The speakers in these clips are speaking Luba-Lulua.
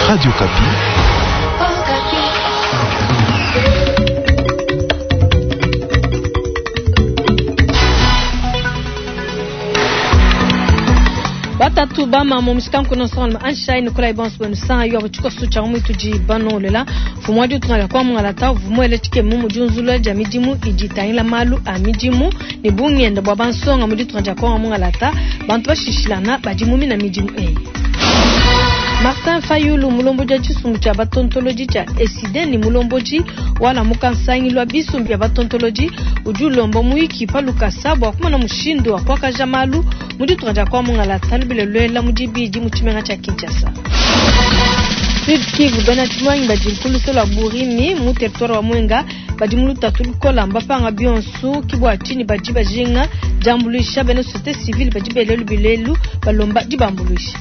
Radio Okapi. Batatu bama mu mishikanku nonso anshayi nikolayi bonso benu sanga yo tshikoso tshia mu tudi banolela mfumu wa ditunga dia kwa vumuele tshikemu mu diunzulula dia midimu idi itangila malu a midimu ne bungenda bua bansonga mu ditunga dia kwa mungalata bantu bashishilana badi mu mina midimu eyi. Martin Fayulu mulombodi wa tshisumbu tshia batontolodi tshia ECiDé ne mulombodi wa Lamuka nsangilu wa bisumbu bia batontolodi udi ulomba muyiki pa lukasa bua kumona mushindu wa kuakaja malu mu ditunga dia kwa mungalata lubila luela mu dibidi mu tshimenga tshia Kinshasa. Sud Kivu bena tshimuangi badi nkuluse lua Burimi mu territoire wa Mwenga badi mu lutatu lukola mbapanga bionso kibwa tshini badi bajinga diambuluisha bena société civile badi bela lubilelu balomba dibambuluisha.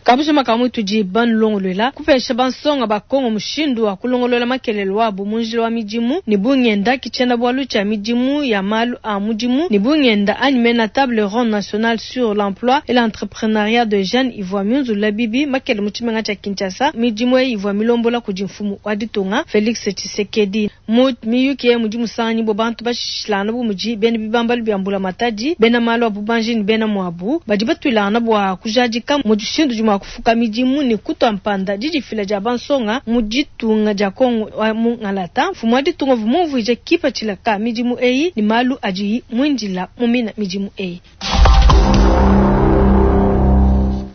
Kabusha makamu tudi banulongolola kupesha bansonga ba Kongo mushindu wa kulongolola makelele wabo mu njila wa midimu ne bungenda kitshena bwalu tshia midimu ya malu a mudimu ne bungenda anyi mena table ronde nationale sur l'emploi et l'entrepreneuriat de jeunes ivua miunzulula bibi makele mu tshimenga tshia Kinshasa. Midimu eyi ivua milombola kudi mfumu wa ditunga Felix Tshisekedi. Mu miyuki eyi mudi musanganyi bua bantu bashishilangana bu mudi bena bibambalu bia mbula matadi, bena malu a bubanji ne bena muabu badi batuilangana bua kujadika mu dishindu dimua kufuka midimu ne kutua mpanda didifila dia bansonga mu ditunga dia Kongo wa mu Ngalata. Mfumu wa ditunga uvua mumvuije kipatshila ka midimu eyi ne malu adiyi muindila mu mina midimu eyi.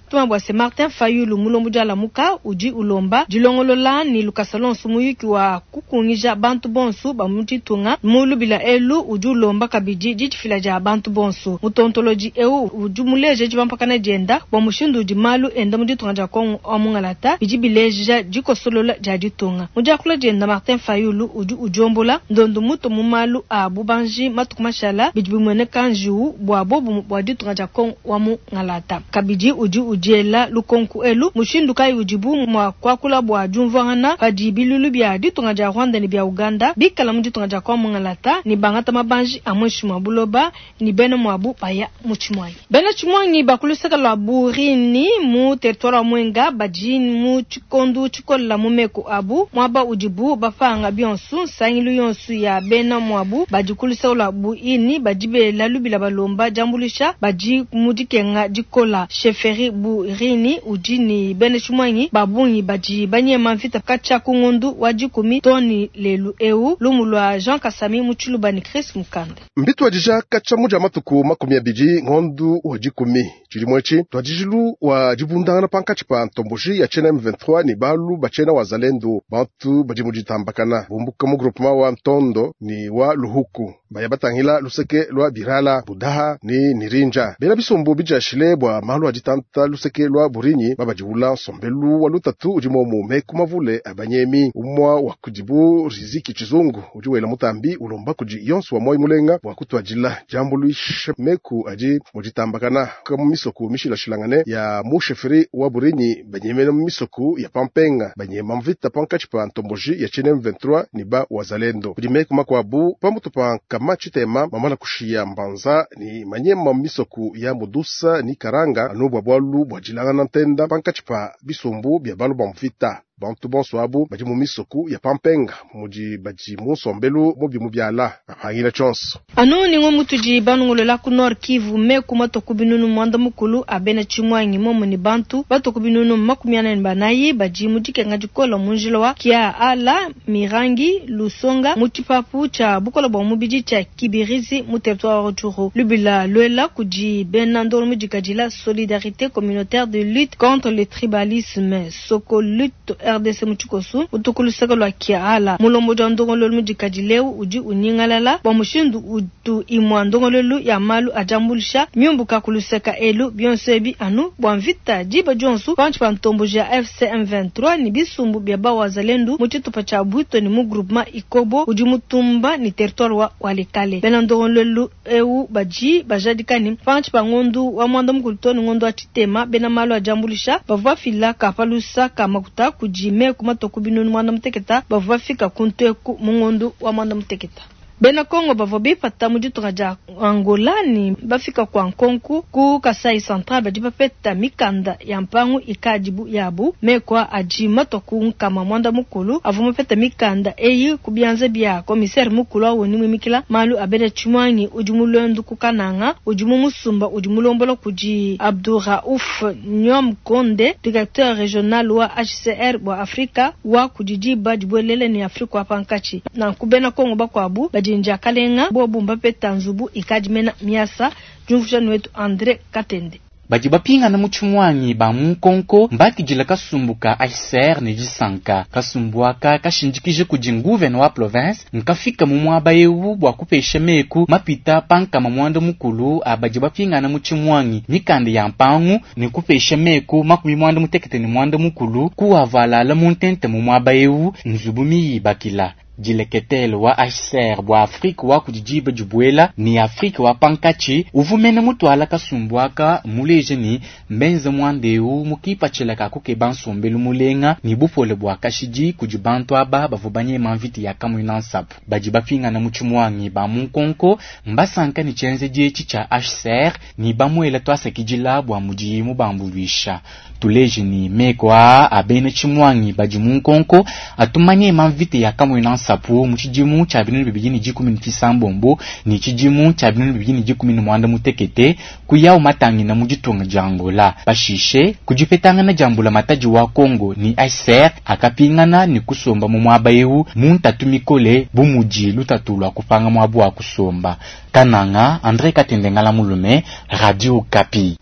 Tuma bua se Martin Fayulu mulombodi wa Lamuka udi ulomba dilongolola ne lukasa lonso muyuki wa kukungija bantu bonso ba mu ditunga mu lubila elu. Udi ulomba kabidi didifila dia bantu bonso. Mutontolodi eu udi muleja dibampakana dienda bua mushindu udi malu enda mu ditunga dia Kongo wa mungalata bidi bileja dikosolola dia ditunga. Mu diakula dienda Martin Fayulu udi udiombola ndondo mutu mu malu a bubanji matuku mashala bidi bimueneka njiwu bua bobu bua ditunga dia Kongo wa mungalata. Kabidi udi udiela lukonku elu mushindu kayi udibu mua kuakula bua diumvuangana padi bilulu bia ditunga dia Rwanda ne bia Uganda bikala mu ditunga dia Kongo mungalata ne bangata mabanji a muinshi mua buloba ne bena muabu baya mu Tshimuangi. Bena Tshimuangi ba ku luseke lua Burini mu territoire wa Mwenga badi mu tshikondu tshikolela mu meku abu muaba udibu bapanga bionso. Nsangilu yonso ya bena muabu badi ku luseke lua Buini badi bela lubila balomba diambuluisha badi mu dikenga dikola. Chefferie Burini udi ne bena Tshimuangi ba bungi badi banyema mvita katshia ku ngondu wa dikumi too ne lelu eu. Lumu lua Jean Kasami mu Tshiluba ne Chris Mukanda. Mbituadija katshia mu dia matuku 20 ngondu wa 10 tshidimu etshi tuadijilu wa dibundangana pankatshi pa ntomboji ya tshiena M23 ne balu ba tshiena wazalendo bantu badi mu ditambakana bumbuka mu groupement wa Ntondo ne wa Luhuku baya batangila luseke lua Birala Budaha ne Nirinja bena bisumbu bijashile bua malu a ditanta luseke lua Burinyi babadiwula nsombelu wa lutatu udi momu meku mavule abanyemi umwa wa kudibu Riziki Chizungu udi wela mutambi ulomba kudi yonso wa moyi mulenga bua kutuadila diambuluisha meku adi mu ditambakana mu misoku mishilashilangane ya mu chefferie wa Burinyi banyemena mu misoku ya Pampenga banyema mvita pankatshi pa ntomboji ya tshiena M23 ne ba wazalendo kudi meku makuabu pamutu pa nkama tshitema mamana kushiya mbanza ni manyema mu misoku ya Mudusa ni Karanga anu bua bualu bua dilangana ntenda pankatshi pa bisumbu bia balu ba mvita. Bantu bonso abu badi mu misoku ya Pampenga mudi badi mu nsombelu mubi mu biala bapangila tshionso. Anu ningo mutudi banongolola ku Nord Kivu meku matoku binunu mwanda mukulu abena Tshimuangi momo ni bantu batoku binunu 44 badi mu dikenga dikola mu njila wa Kia Ala Mirangi Lusonga mu tshipapu tshia bukola bua mubidi tshia Kibirizi mu territoire wa Rutshuru. Lubila luela kudi bena ndolo mu dikadila Solidarité communautaire de lutte contre le tribalisme Soko lutte RDC mu tshikosu utukulusaka lua Kia Ala mulombodi wa ndongololu mu dikadileu udi unyingalala bua mushindu utu imua ndongololu ya malu ajambulisha miumbuka kulusaka elu bionso ebi anu bua mvita diba dionso pantshi pa ntomboji ya AFC M23 ni bisumbu bia bawazalendu mu tshitupa tshia Bwito ni mu groupement Ikobo udi mutumba ni territoire wa Walikale. Bena ndongololu eu badi bajadikani pantshi pa ngondu wa mwanda mukulu to ni ngondu wa tshitema bena malu ajambulisha bavua fila ka palusa ka makuta kudi meku matoku binunu mwanda muteketa bavua fika kuntu eku mu ngondu wa mwanda muteketa. Bena Kongo bavua bipata mu ditunga dia Angola ne bafika kua nkonku ku Kasai Central badi bapeta mikanda ya mpangu ikadi bu yabu. Meku adi matua ku nkama muanda mukulu avua mapeta mikanda eyi ku bianza bia commissaire mukulu wa ONU muimikila malu a bena tshimuangi udi mu luendu ku Kananga udi mu musumba udi mulombola kudi Abdouraouf Nyom Konde, directeur regional wa HCR bua Afrika wa kudi diba dibuelele ne Afrika wa pankatshi. Nanku bena Kongo bakuabu badi ne diakalenga bobu mbapeta nzubu ikadi mena miasa. Diumvuija nuetu Andre Katende. Badi bapingana mu tshimuangi ba mu nkonko mbakidila kasumbu ka HCR ne disanka. Kasumbu aka kashindikije kudi nguvena wa province nkafika mu muaba eu bua kupesha meku mapita pa nkama muanda mukulu a badi bapingana mu tshimuangi mikanda ya mpangu ne kupesha meku 61 kuavalala mu ntente mu muaba eu nzubu miyibakila. Dileketele wa HCR bua Afrika wa kudi diba dibuela ne Afrika wa pankatshi uvumene mutuala kasumbu aka muleje ni mbenze muanda eu mukipatshila ka kukeba nsombelu mulenga ni bupole bua kashidi kudi bantu aba bavua banyema mvita ya Kamuina Nsapu. Badi bapingana mu tshimuangi ba mu nkonko mbasanka ne tshienzedi etshi tshia HCR ni bamuela tuasakidila bua mudiyi mubambuluisha. Tuleje ni meko aa a bena tshimuangi badi mu nkonko atumanyema mvita ya Kamuina Nsapu mu tshidimu tshia 2017 ni tshidimu tshia 2018 kuyawu matangina mu ditunga dia Angola. Pashishe kudipetangana dia mbulamatadi wa Congo ni HCR akapingana ni kusomba mu muaba eu mu ntatu mikole bu mudi lutatu lua kupanga muabu wa kusomba. Kananga, André Katende Ngala Mulume, Radio Okapi.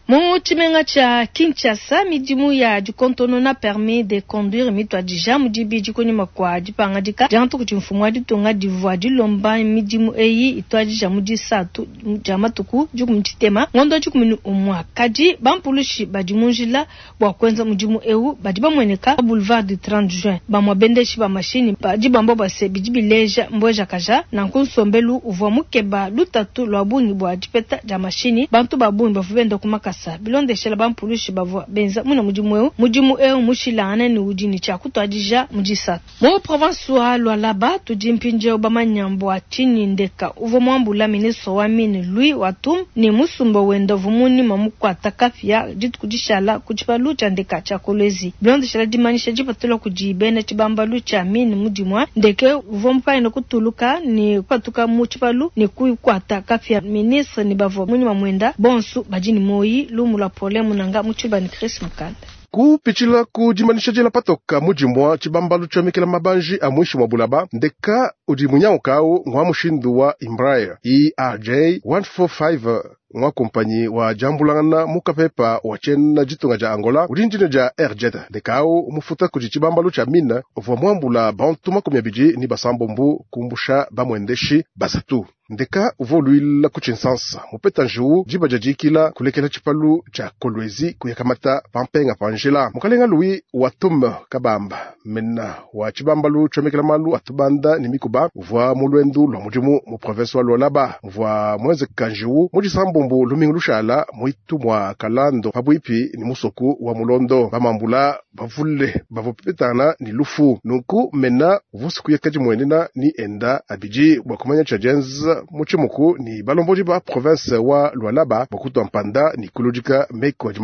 Mu tshimenga tshia Kinshasa, midimu ya dikontonona permis de conduire mituadija mu dibidi kunyima kua dipangadika dia ntuku mfumu wa ditunga divua dilomba midimu eyi ituadija mu disatu dia matuku 13 ngondo 11. Kadi bampulushi badi mu njila bua kuenza mudimu eu badi bamueneka boulevard du 30 juin. Bamue bendeshi ba mashinyi badi bamba bua se bidi bileja mbwejakaja nanku nsombelu uvua mukeba lutatu lua bungi bua dipeta dia mashinyi. Bantu ba bungi bavua benda ku makasa bilondeshela bampulushi bavua benza muna mudimu eu. Mudimu eu mushilangane ne udi ne tshia kutuadija mu disatu mu province wa Lualaba. Tudi mpindieu bamanya mbua tshinyi ndeka uvua muambula ministre wa mine Louis Watum ne musumba wenda uvua munyima mukuata kapia dituku dishala ku tshipalu tshia ndeka tshia Kolwezi. Bilondeshela dimanyisha dipatula kudi bena tshibambalu tshia mine mudimua, ndeke uvua mupangile kutuluka ne kupatuka mu tshipalu ne kukuata kapia. Ministre ne bavua munyima muenda bonso badi ne moyi. Lumu lua Paulin Munanga mu tshiba ne Chris Mukanda. Kupitshila ku dimanisha diela patoka mudimua tshibambalu tshiomekela mabanji a mwishi mwa bulaba ndeka udi munyaukawu ngwa mushindu wa Embraer ERJ 145 ngwa kompanyi wa jambulangana mukapepa wa tshiena ditunga dia Angola udi ndine dia Airjet. Ndekau mufuta kudi tshibambalu tshia mine uvua muambula bantu 26 kumbusha bamwendeshi basatu. Ndeka uvua uluila ku tshinsansa mupeta njiwu diba dia dikila kulekela tshipalu tshia Kolwezi kuyakamata pampenga panjila. Mukalenga Louis Watum Kabamba mena wa tshibambalu tshiomekela malu atubanda ne mikuba uvua mu lwendu lua mudimu mu province wa Lualaba muvua mwenzeka njiwu mu disambombo lumingu lushala mwitu mwa Kalando pabuipi ni musoku wa Mulondo. Bamambula bavule bavua pepetana ni lufu nunku mena uvusi kuyeka dimwenena ni enda abidi bua kumanya tshia dienza mutshimuku ni balomboji ba province wa Lualaba bua mpanda ni kuludika meko adi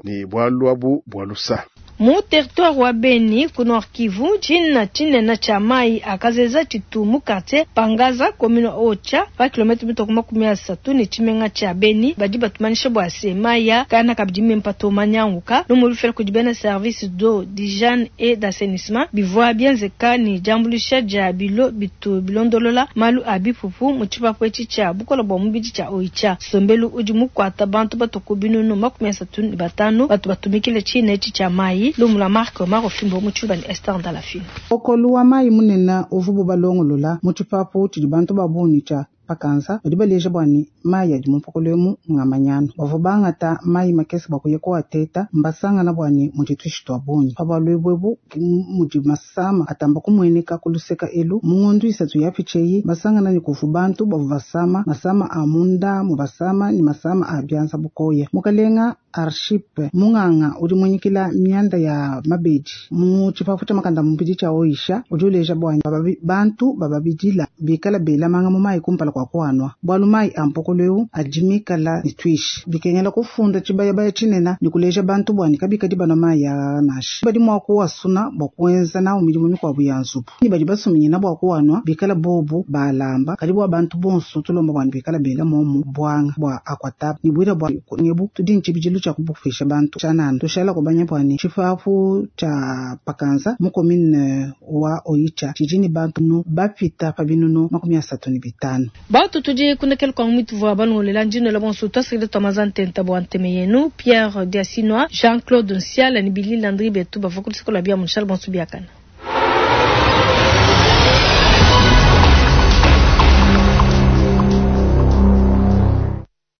ni bwalu abu bua lusa. Mu territoire wa Beni ku Nord Kivu, tshina tshinene tshia mai akazeza tshitu mu quartier Pangaza commune Ocha pa kilomètre mitoko 30 ne tshimenga tshia Beni. Badi batumanisha bua se maya kana kabidi mimpa to manyanguka no mu lufela kudi bena service d'eau d'hygiène et d'assainissement bivua bienzeka ni diambulisha dia bilo bitu bilondolola malu a bipupu mu tshipapu etshi tshia bukola bua mubidi tshia Oicha. Sombelu udi mukuata bantu batuku binunu 35 batu batumikile tshina etshi tshia mai. Lumula Mark Maro Fimbo mu tshiba ni Esther Ndalafina. Okolu wa mai munene uvubu balongolola mu tshipapu tshidi bantu ba bungi tshia pakanza badi baleja bua ne mai adi mu emu ngamanyano bavua bangata mai makese bua kuya kuateta mbasangana bua ne mudi tuishi tua bungi pa bualu ebu mudi masama atamba kumueneka kuluseka elu mu ngondu isatu yapitsheyi basangana ne kuvu bantu bavua basama masama a munda mu basama ni masama a bianza bukoya mukalenga. Archipe munganga udi muinyikila mianda ya mabedi mu tshipapu tshia makanda mubidi tshia Oisha udi uleja bua bantu bababidila bikala bela manga mu mayi kumpala kua kuanwa bualu mayi a mpokolo eu adi mikala ne tuishi bikengela kufunda tshibayabaya tshinene ne kuleja bantu bua ne kabikadi banwa mayi a nansha badi mua kuwasuna bua kuenza nawu midimu mikuabu ya nzubu ne badi basuminyina bua kuanwa bikala bobu balamba kadi bua bantu bonso tulomba bua ne bikala bela momu buanga bua akwataba ne bwila bua nebu tudi ntshibidilu tshia kubupesha bantu tshianana tushala kubanya bua ne tshipapu tshia pakanza mu commune wa Oicha tshidi ne bantu nu bapita pa binunu 35. Bantu tudi kunekela kwa mwitu vwa balongolela ndino la bonso twasikile twamaza ntenta bua nteme yenu Pierre Diasinwa Jean-Claude Nsiala ni Billy Landry betu bava kulisikola bia munshala bonso biakana.